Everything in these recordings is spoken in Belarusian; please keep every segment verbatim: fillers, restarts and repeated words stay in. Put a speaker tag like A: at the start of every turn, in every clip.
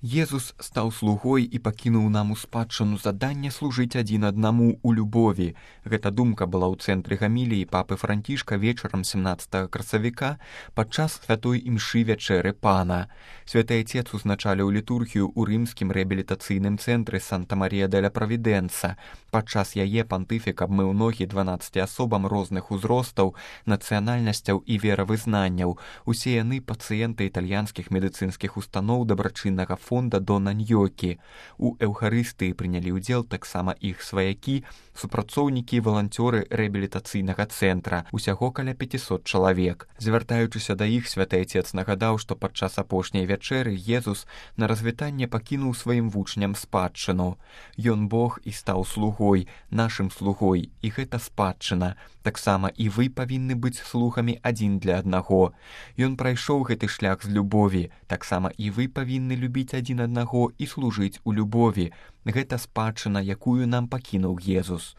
A: Езус стаў слугой і пакінуў нам у спадчыну заданне служыць адзін аднаму ў любові. Гэта думка была ў цэнтры гаміліі папы Францішка вечарам семнаццатага красавіка падчас святой імшы вячэры Пана. Святы Айцец узначаліў літургію ў рымскім рэабілітацыйным цэнтры Санта-Марія-деля-Правідэнса. Падчас яе пантыфік абмыў ногі дванаццаці асобам розных узростаў, нацыянальнасцяў і веравызнанняў. Усе яны пацыенты італьянскіх медыцынскіх устаноў дабрачыннага фонда Дона Ньёкі. У эўхарыстыі прынялі ўдзел таксама іх сваякі, супрацоўнікі і валанцёры рэабілітацыйнага цэнтра, усяго каля пяцісот чалавек. Звяртаючыся да іх, святы Айцец нагадаў, што падчас апошняй вячэры Езус на развітанне пакінуў сваім вучням спадчыну. Ён Бог і стаў слугой, нашым слугой, і гэта спадчына. Таксама і вы павінны быць слугамі адзін для аднаго. Ён прайшоў гэты шлях з любові, таксама і вы павінны любіць адзін аднаго і служыць у любові. Гэта спадчына, якую нам пакінуў Езус.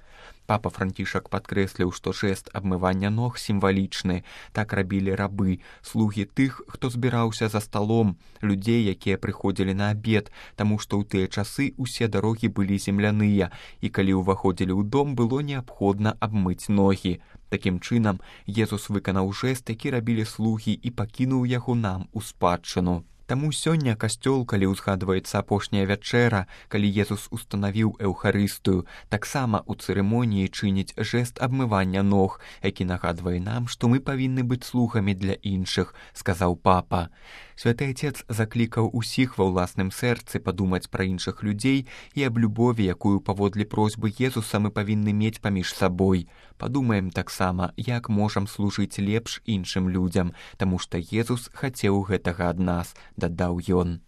A: Папа Францішак падкрэсліў, што жэст абмывання ног сімвалічны. Так рабілі рабы, слугі тых, хто збіраўся за сталом, людзей, якія прыходзілі на абед, таму што ў тыя часы ўсе дарогі былі земляныя, і калі ўваходзілі ў дом, было неабходна абмыць ногі. Такім чынам, Езус выканаў жэст, які рабілі слугі, і пакінуў яго нам у спадчыну. Таму сёння касцёл, калі ўзгадваецца апошняя вячэра, калі Езус устанавіў эўхарыстыю, таксама ў цырымоніі чыніць жэст абмывання ног, які нагадвае нам, што мы павінны быць слугамі для іншых, сказаў папа. Святы Айцец заклікаў усіх ва ўласным сэрцы падумаць пра іншых людзей і аб любові, якую паводле просьбы Езуса мы павінны мець паміж сабой. Падумаем таксама, як можам служыць лепш іншым людзям, таму што Езус хацеў гэтага ад нас, дадаў ён.